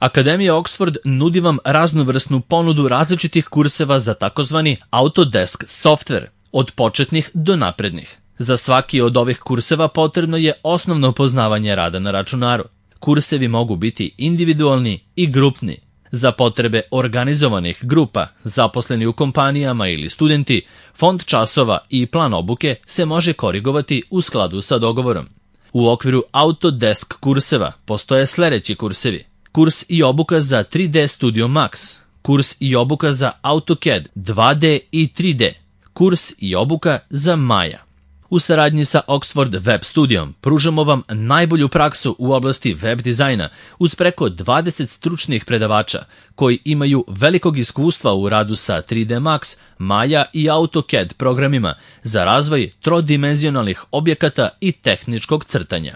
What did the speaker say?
Akademija Oxford nudi vam raznovrsnu ponudu različitih kurseva za takozvani Autodesk software, od početnih do naprednih. Za svaki od ovih kurseva potrebno je osnovno poznavanje rada na računaru. Kursevi mogu biti individualni i grupni. Za potrebe organizovanih grupa, zaposleni u kompanijama ili studenti, fond časova i plan obuke se može korigovati u skladu sa dogovorom. U okviru Autodesk kurseva postoje sledeći kursevi: kurs i obuka za 3D Studio Max, kurs i obuka za AutoCAD 2D i 3D, kurs i obuka za Maya. U saradnji sa Oxford Web Studijom pružamo vam najbolju praksu u oblasti web dizajna uz preko 20 stručnih predavača koji imaju velikog iskustva u radu sa 3D Max, Maya i AutoCAD programima za razvoj trodimenzionalnih objekata i tehničkog crtanja.